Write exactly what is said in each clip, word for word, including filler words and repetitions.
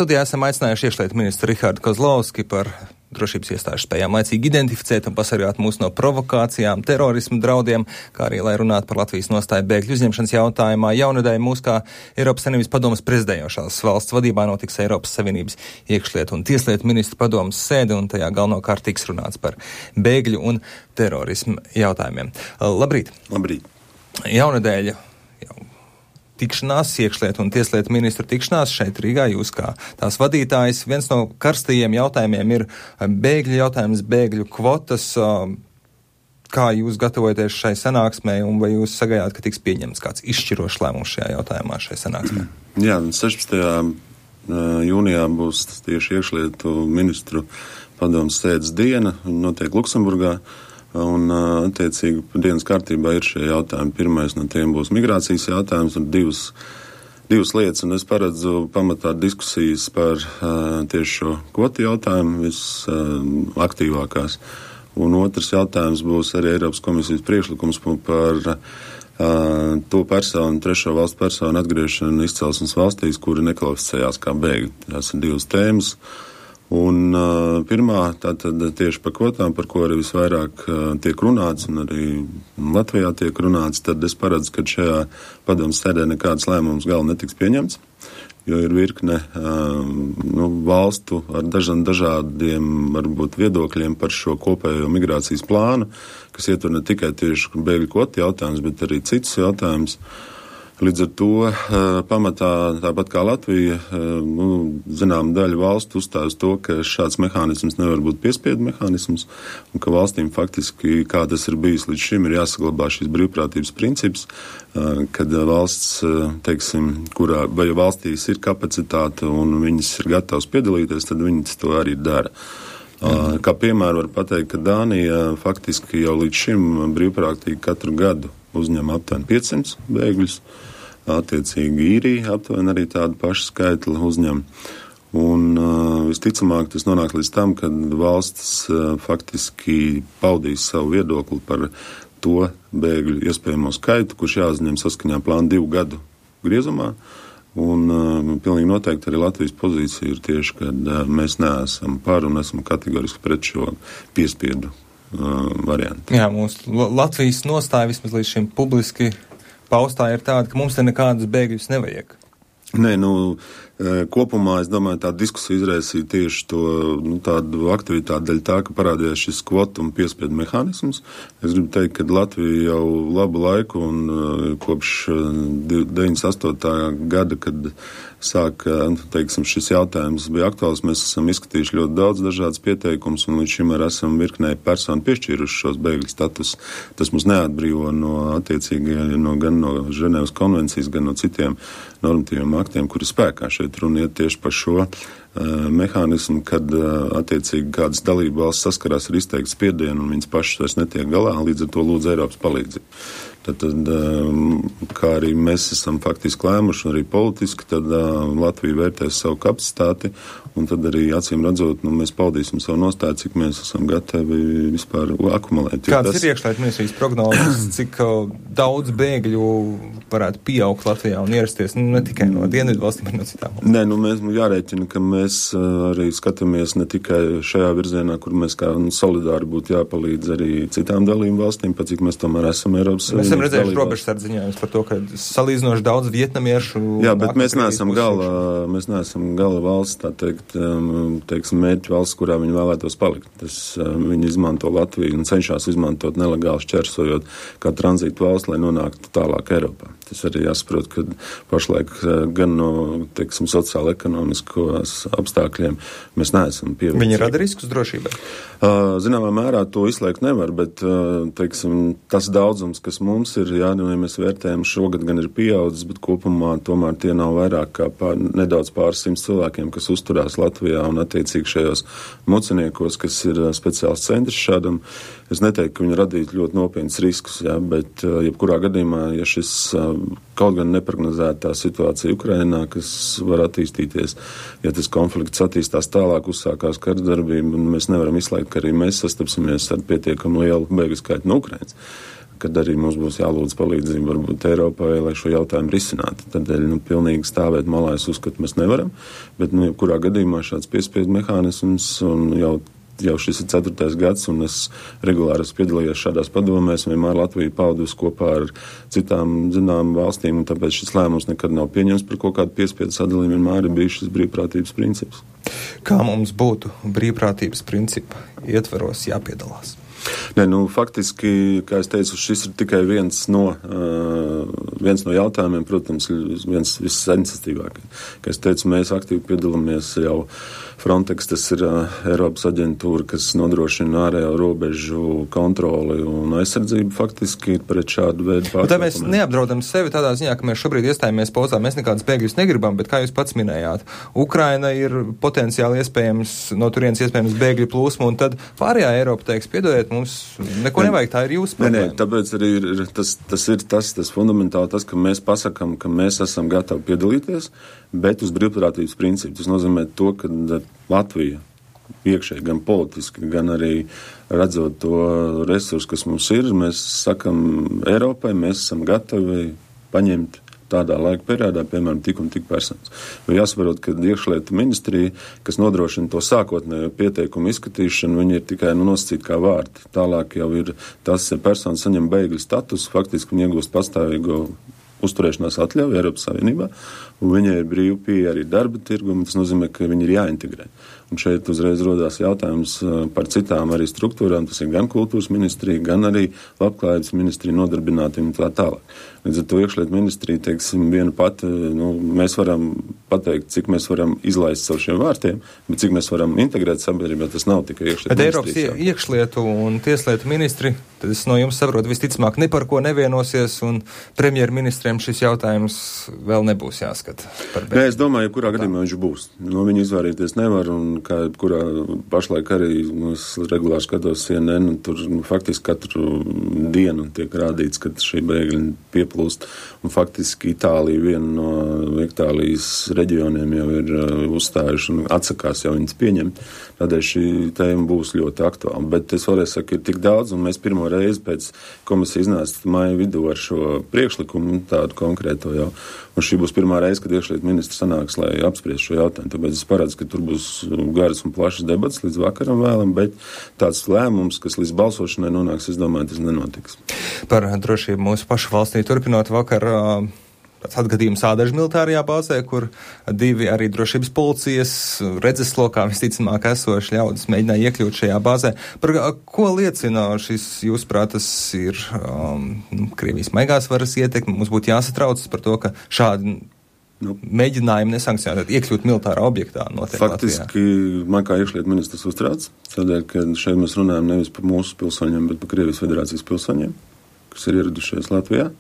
Studijā esam aicinājuši iekšlietu ministru Rihardu Kozlovski par drošības iestāžu spējām laicīgi identificēt un pasargāt mūs no provokācijām, terorismu draudiem, kā arī, lai runātu par Latvijas nostāju bēgļu uzņemšanas jautājumā. Jaunadēļ mūs kā Eiropas Savienības padomes prezidējošās valsts vadībā notiks Eiropas Savienības iekšlietu un tieslietu ministru padomes sēde, un tajā galvenokārt tiks runāts par bēgļu un terorismu jautājumiem. Labrīt! Labrīt! Jaunadēļ tikšanās, iekšlietu un tieslietu ministru tikšanās šeit Rīgā, jūs kā tās vadītājs. Viens no karstajiem jautājumiem ir bēgļu jautājums, bēgļu kvotas. Kā jūs gatavojaties šai sanāksmē, un vai jūs sagaidāt, ka tiks pieņemts kāds izšķirošs lēmums šajā jautājumā, šai sanāksmē? Jā, sešpadsmitajā jūnijā būs tieši iekšlietu ministru padomes sēdes diena, notiek Luksemburgā. Un, attiecīgi, dienas kārtībā ir šie jautājumi. Pirmais no tiem būs migrācijas jautājums un divas, divas lietas, un es paredzu pamatā diskusijas par uh, tieši šo kvotu jautājumu visaktīvākās. Uh, un otrs jautājums būs arī Eiropas komisijas priekšlikums par uh, to personu, trešo valstu personu atgriešanu izcelsmes valstīs, kuri nekvalificējās kā bēgļi. Tās ir divas tēmas. Un uh, pirmā, tātad tieši par kvotām, par ko arī visvairāk uh, tiek runāts, un arī Latvijā tiek runāts, tad es paredzu, ka šajā padomes sēdē nekādas lēmumus gala netiks pieņemts, jo ir virkne uh, nu, valstu ar dažan, dažādiem, varbūt, viedokļiem par šo kopējo migrācijas plānu, kas ietver ne tikai tieši bēgļu kvotu jautājums, bet arī citus jautājumus. Līdz ar to pamatā, tāpat kā Latvija, nu, zinām, daļa valstu uzstājas to, ka šāds mehānisms nevar būt piespiedu mehānisms, un ka valstīm faktiski, kā tas ir bijis līdz šim, ir jāsaglabā šis brīvprātības princips, kad valsts, teiksim, kurā, vai valstīs ir kapacitāte un viņas ir gatavas piedalīties, tad viņas to arī dara. Mhm. Kā piemēru var pateikt, ka Dānija faktiski jau līdz šim brīvprātīgi katru gadu uzņem aptuveni piecsimt bēgļus. Attiecīgi īrija aptuveni arī tādu pašu skaitli uzņem. Un uh, visticamāk tas nonāk līdz tam, kad valsts uh, faktiski paudīs savu viedokli par to bēgļu iespējamo skaitu, kurš jāuzņem saskaņā plānu divu gadu griezumā. Un uh, pilnīgi noteikti arī Latvijas pozīcija ir tieši, kad uh, mēs neesam par un esam kategoriski pret šo piespiedu uh, variantu. Jā, mūsu Latvijas nostāja vismaz līdz šim publiski paustā ir tāda, ka mums te nekādus bēgļus nevajag. Nē, nu, kopumā, es domāju, tā diskusija izraisīja tieši to, nu, tādu aktivitāti daļa tā, ka parādījās šis kvotu un piespiedu mehānisms. Es gribu teikt, ka Latvija jau labu laiku un kopš deviņdesmit astotā gada, kad sāk, teiksim, šis jautājums bija aktuāls, mēs esam izskatījuši ļoti daudz dažādas pieteikumus un līdz šim arī esam virknē personu piešķīruši šos bēgļu status. Tas mums neatbrīvo no attiecīgi no, gan no Ženēvas konvencijas, gan no citiem normatīviem aktiem, kuri spēkā. Šeit runa iet tieši par šo uh, mehānismu, kad uh, attiecīgi kādas dalība valsts saskarās ar izteiktu spiedienu un viņas pašas vairs netiek galā, līdz ar to lūdz Eiropas palīdzību. Tad, tad, kā arī mēs esam faktiski lēmuši, un arī politiski, tad Latvija vērtēs savu kapacitāti, un tad arī acīm redzot, nu, mēs paudīsim savu nostāju, cik mēs esam gatavi vispār akumulēt. Kādas tas... ir iekšlietu ministrijas prognozes, cik daudz bēgļu varētu pieaugt Latvijā un ierasties, nu, ne tikai no dienvidu valstīm, bet no citām valstīm? Nē, nu, mēs jārēķina, ka mēs arī skatāmies ne tikai šajā virzienā, kur mēs kā nu, solidāri būtu jāpalīdz arī citām dalību valstīm, pat cik mēs tomēr esam Eiropas Savienības. Esam redzējuši robežsardze ziņojumus par to, ka salīdzinoši daudz vietnamiešu. Jā, bet mēs neesam gala, mēs neesam gala valsts, tā teikt, teiksim, mērķu valsts, kurā viņi vēlētos palikt. Tas, viņi izmanto Latviju un cenšas izmantot nelegāli šķērsojot kā tranzītu valsts, lai nonāktu tālāk Eiropā. Tas arī jāsaprot, ka pašlaik gan no, teiksim, sociāla-ekonomiskos apstākļiem mēs neesam pievilcīgi. Viņi rada riskus drošībai? Zināmā mērā to izslēgt nevar, bet, teiksim, tas daudzums, kas mums ir, jā, nu, ja mēs vērtējam, šogad gan ir pieaudzis, bet kopumā tomēr tie nav vairāk kā pār, nedaudz pāris simts cilvēkiem, kas uzturās Latvijā un attiecīgi šajos muciniekos, kas ir speciāls centrs šādam. Es neteiktu, ka viņi radītu ļoti nopietnas riskus, jā, bet jebkurā gadījumā, ja šis kaut gan neprognozētā situācija Ukrainā, kas var attīstīties, ja tas konflikts attīstās tālāk, uzsākās karsdarbība, un mēs nevaram izslēgt, ka arī mēs sastapsimies ar pietiekami lielu bēgļu skaitu no Ukrainas. kad arī mums būs jālūdz palīdzību varbūt Eiropai, lai šo jautājumu risinātu. Tādēļ, nu, pilnīgi stāvēt malā es uzskatu, mēs nevaram, bet, nu, kurā gadījumā šāds piespiedu mehānisms un jau, jau šis ir ceturtais gads, un es regulāri esmu piedalījies šādās padomēs, vienmēr Latvija paudus kopā ar citām, zinām, valstīm, un tāpēc šis lēmums nekad nav pieņems par kaut kādu piespiedu sadalījumu, vienmēr ir bijis šis brīvprātības princips. Kā mums būtu brīvprātības principa ietveros jāpiedalās? Nē, nu, faktiski, kā es teicu, šis ir tikai viens no, uh, viens no jautājumiem, protams, viens vissensitīvākais. Kā es teicu, mēs aktīvi piedalāmies jau Frontex, tas ir uh, Eiropas aģentūra, kas nodrošina ārējo robežu kontroli un aizsardzību faktiski pret šādu veidu pārkāpumiem. Tā mēs neapdraudam sevi tādā ziņā, ka mēs šobrīd iestājāmies pauzā, mēs nekādas bēgļus negribam, bet kā jūs pats minējāt, Ukraina ir potenciāli iespējams, no turienes iespējams bēgļu plūsma, un tad pārējā Eiropa teiks, piedodiet, mums neko nevajag, tā ir jūsu problēma. Nē, nē, tāpēc arī ir, tas, tas ir tas, tas fundamentāli tas, ka mēs pasakam, ka mēs esam gatavi piedalīties, bet uz brīvprātības principu. Tas nozīmē to, ka Latvija iekšēji gan politiski, gan arī redzot to resursu, kas mums ir, mēs sakam Eiropai, mēs esam gatavi paņemt tādā laika periodā, piemēram, tik un tik personas. Jo jāsaprot, ka iekšlietu ministrija, kas nodrošina to sākotnējo pieteikumu izskatīšanu, viņi ir tikai nu, nosacīti kā vārdi. Tālāk jau ir tas, ja persona saņem bēgļu status, faktiski viņi iegūst pastāvīgo uzturēšanās atļauju Eiropas Savienībā, un viņai ir brīvi pieeja arī darba tirgumu, tas nozīmē, ka viņi ir jāintegrē. Un šeit uzreiz rodās jautājums par citām arī struktūrām, tas ir gan kultūras ministrija, gan arī labklājības ministrija nodarbinātiem un tā tālāk. Līdz ar to iekšlietu ministrija, teiksim, viena pati, nu, mēs varam pateikt, cik mēs varam izlaist savu šiem vārtiem, bet cik mēs varam integrēt sabiedrībā, tas nav tikai iekšlietu bet ministrijas. Eiropas iekšlietu un tieslietu ministri, tad es no jums saprotu, visticamāk ne par ko nevienosies, un premjerministriem šis jautājums vēl nebūs jāskata. Nē, es domāju, kurā gadījumā viņš būs. No viņa izvairīties nevar, un kā kurā pašlaik arī nu, es regulāri skatos C N N, un tur nu, faktiski katru dienu tiek rādīts, ka šī bēgļi pieplūst, un faktiski Itālija, viena no Itālijas reģioniem jau ir uh, uzstājuši un atsakās jau viņas pieņemt. Tādēļ šī tēma būs ļoti aktuāla. Bet es vēlreiz saku, ir tik daudz, un mēs pirmo reizi pēc komisijas iznāca māja vidū ar šo priekšlikumu, tādu konkrēto jau. Un šī būs pirmā reize, kad iekšlietu ministrs sanāks, lai apspriest šo jautājumu. Tāpēc es paredzu, ka tur būs garas un plašas debats līdz vakaram vēlam, bet tāds lēmums, kas līdz balsošanai nonāks, es domāju, tas nenotiks. Par drošību mūsu pašu valstī turpinot vakar tāds atgadījums Ādažu militārajā bāzē, kur divi arī drošības policijas redzeslokā visticamāk esoši ļaudis mēģināja iekļūt šajā bāzē. Par ko liecina šis, jūsuprāt, tas ir um, Krievijas maigās varas ietekme? Mums būtu jāsatraucas par to, ka šādi nu, mēģinājumi nesankcionēt, iekļūt militārā objektā notiek faktiski, Latvijā. Man kā iekšlietu ministrs uztrauc, tādēļ, ka šeit mēs runājam nevis par mūsu pilsoņiem, bet par Krievijas federācijas pilsoņiem, kas ir ieradušies Latvijā.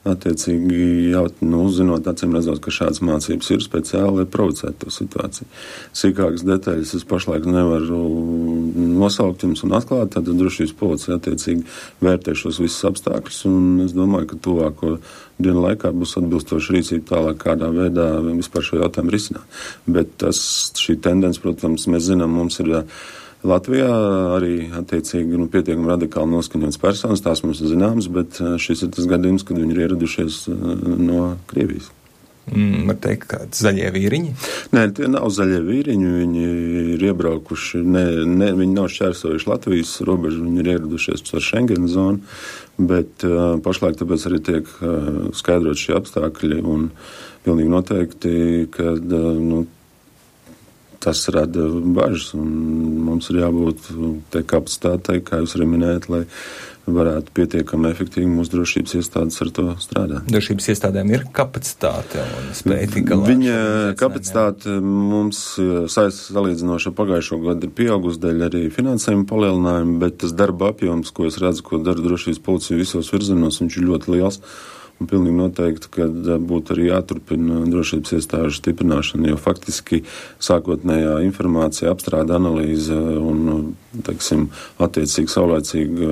Attiecīgi, jau, nu, zinot, acīm redzot, ka šādas mācības ir speciāli, lai provocētu to situāciju. Sīkākas detaļas es pašlaik nevaru nosaukt jums un atklāt, tad drošības policija attiecīgi vērtē šos visus apstākļus, un es domāju, ka tuvāko dienu laikā būs atbilstoša rīcība tālāk, kādā veidā vispār šo jautājumu risināt. Bet tas, šī tendence, protams, mēs zinām, mums ir Latvijā arī attiecīgi nu, pietiekami radikāli noskaņots personas, tās mums ir zināmas, bet šis ir tas gadījums, kad viņi ir ieradušies no Krievijas. Mm, var teikt, kādi zaļie vīriņi? Nē, tie nav zaļie vīriņi, viņi ir iebraukuši, ne, ne, viņi nav šķērsojuši Latvijas robežu, viņi ir ieradušies ar Schengen zonu, bet uh, pašlaik tāpēc arī tiek uh, skaidrot šie apstākļi un pilnīgi noteikti, ka uh, nu, tas rada bažas, un mums ir jābūt te kapacitātei, kā jūs arī minējat, lai varētu pietiekami efektīvi mūsu drošības iestādes ar to strādāt. Drošības iestādēm ir kapacitāte un spēja tik galā. Viņa kapacitāte mums salīdzinoši pagājušo gadu ir pieaugusi dēļ arī finansējuma palielinājuma, bet tas darba apjoms, ko es redzu, ko dara drošības policija visos virzienos, viņš ir ļoti liels. Un pilnīgi noteikti, ka būtu arī jāturpina drošības iestāžu stiprināšana, jo faktiski sākotnējā informācija, apstrāde, analīze un, teiksim, attiecīgi saulēcīgi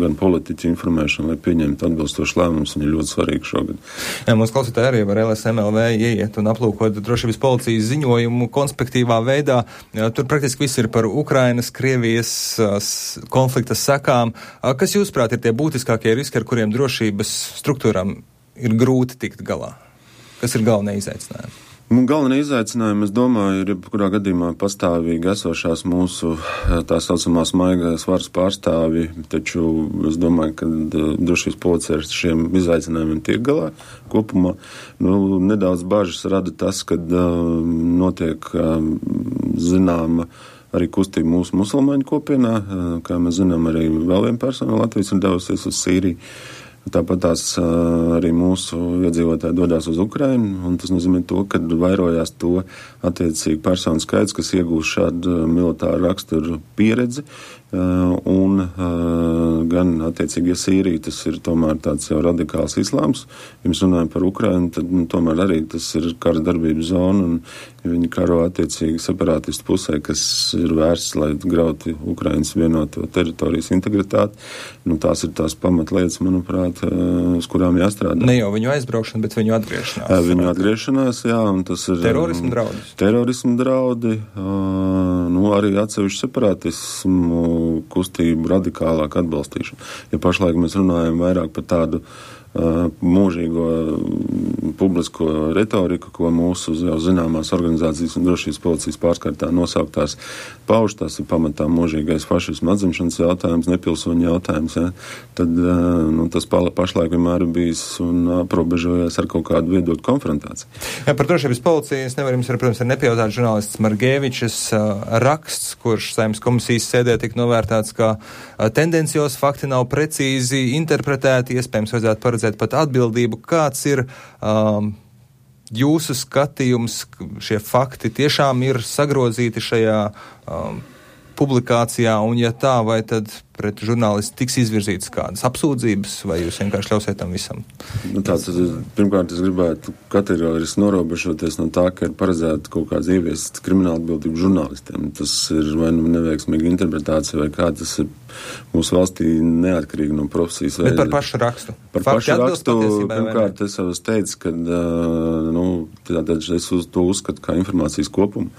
gan politiķu informēšana, lai pieņemtu atbilstoši lēmumus, un ir ļoti svarīgi šogad. Jā, mums klausītāji arī var L S M L V ieiet un aplūkot drošības policijas ziņojumu konspektīvā veidā. Tur praktiski viss ir par Ukrainas, Krievijas konflikta sekām. Kas jūsuprāt ir tie būtiskākie riski, ar kuriem drošības struktūrām ir grūti tikt galā? Kas ir galvenie izaicinājumi? Nu, galvenie izaicinājumi, es domāju, ir jebkurā gadījumā pastāvīgi esošās mūsu tā saucamās maigās varas pārstāvi, taču es domāju, ka drošības policija ar šiem izaicinājumiem tiek galā kopumā. Nu, nedaudz bažas rada tas, kad uh, notiek uh, zināma arī kustība mūsu musulmaņu kopienā, uh, kā mēs zinām, arī vēl viena persona Latvijas ir devusies uz Sīriju. Tāpat tās arī mūsu iedzīvotāji dodās uz Ukrainu, un tas nozīmē to, ka vairojās to attiecīgi personu skaits, kas iegūst šādu militāru raksturu pieredzi, un gan attiecīgi, ja Sīrija tas ir tomēr tāds jau radikāls islāms, ja mēs runājam par Ukrainu, tad nu, tomēr arī tas ir kara darbības zona, un ja viņi karo attiecīgi separātistu pusē, kas ir vērsts, lai grauti Ukrainas vienoto teritorijas integritāti, nu tās ir tās pamatlietas, manuprāt, uz kurām jāstrādā. Ne jau viņu aizbraukšana, bet viņu atgriešanās. Viņu atgriešanās, jā, un tas ir terorismu draudi. Terorismu draudi, nu arī atsevišķu separatismu kustību radikālāk atbalstīšanu. Ja pašlaik mēs runājam vairāk par tādu uh, mūžīgo publisko retoriku, ko mūsu jau zināmās organizācijas un drošības policijas pārskārtā nosauktās pauž, tas ir pamatā mūžīgais fašismu atzimšanas jautājums, nepilsoņu jautājums, ja? Tad uh, nu, tas pašlaik vienmēr ir bijis un aprobežojies ar kaut kādu viedokļu konfrontāciju. Jā, par drošības policiju es nevaru jums, ar, protams, ar nepajautāt žurnālists Margēvičs uh, raksts, kurš Saeimas komisijas sēdē tika novērtēts, ka uh, tendencios fakti nav precīzi interpretēti, iespējams vajadzētu paredzēt pat atbildību. Kāds ir um, jūsu skatījums, šie fakti tiešām ir sagrozīti šajā um, publikācijā, un ja tā, vai tad pret žurnālistu tiks izvirzītas kādas apsūdzības, vai jūs vienkārši ļausiet tam visam? Nu, tā, tad, pirmkārt, es gribētu kategoriski norobežoties no tā, ka ir paredzēta kaut kāds ieviest krimināla atbildību žurnālistiem. Tas ir vai nu neveiksmīga interpretācija, vai kā tas ir mūsu valstī neatkarīgi no profesijas. Bet par pašu rakstu? Par Fakti pašu rakstu, pirmkārt, es jau teicu, ka nu, tātad es uz to uzskatu kā informācijas kopumu,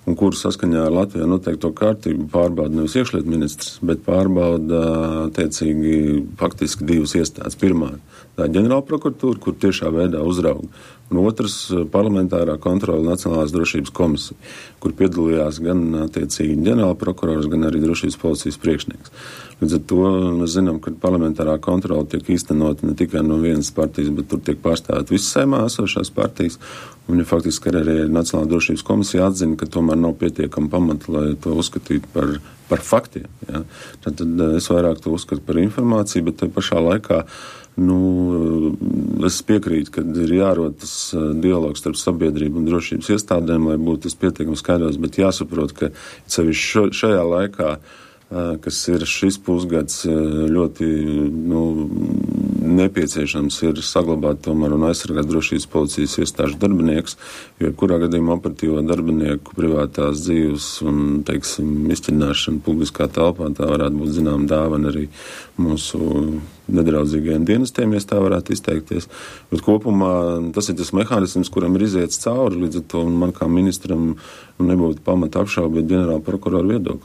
un kuru saskaņā ar Latvijā noteikto kārtību pārbauda nevis iekšlietu ministrs, bet pārbauda attiecīgi faktiski divas iestādes. Pirmā, tā ir ģenerāla prokuratūra, kur tiešā veidā uzrauga. Un otrs, parlamentārā kontrola Nacionālās drošības komisija, kur piedalījās gan attiecīgi ģenerāla prokurors, gan arī drošības policijas priekšnieks. Līdz ar to mēs zinām, ka parlamentārā kontrola tiek īstenota ne tikai no vienas partijas, bet tur tiek pārstāvēt visas Saeimā esošās partijas. Un ja faktiski arī Nacionālā drošības komisija atzina, ka tomēr nav pietiekama pamata, lai to uzskatītu par, par faktiem. Ja. Tad, tad es vairāk to uzskatu par informāciju, bet te pašā laikā nu, es piekrītu, ka ir jārod tas dialogs starp sabiedrību un drošības iestādēm, lai būtu tas pietiekami skaidrs, bet jāsaprot, ka sevišķi šajā laikā, kas ir šis pusgads, ļoti nu, nepieciešams ir saglabāt tomēr un aizsargāt drošības policijas iestāžu darbinieks, jo kurā gadījumā operatīvo darbinieku privātās dzīves un, teiksim, izķidināšana publiskā telpā, tā varētu būt zinām dāvana arī mūsu nedraudzīgajiem dienestiem, ja tā varētu izteikties. Bet kopumā tas ir tas mehānisms, kuram ir iziets cauri, līdz ar to man kā ministram nebūtu pamata apšaubīt ģenerāla prokurora viedokli.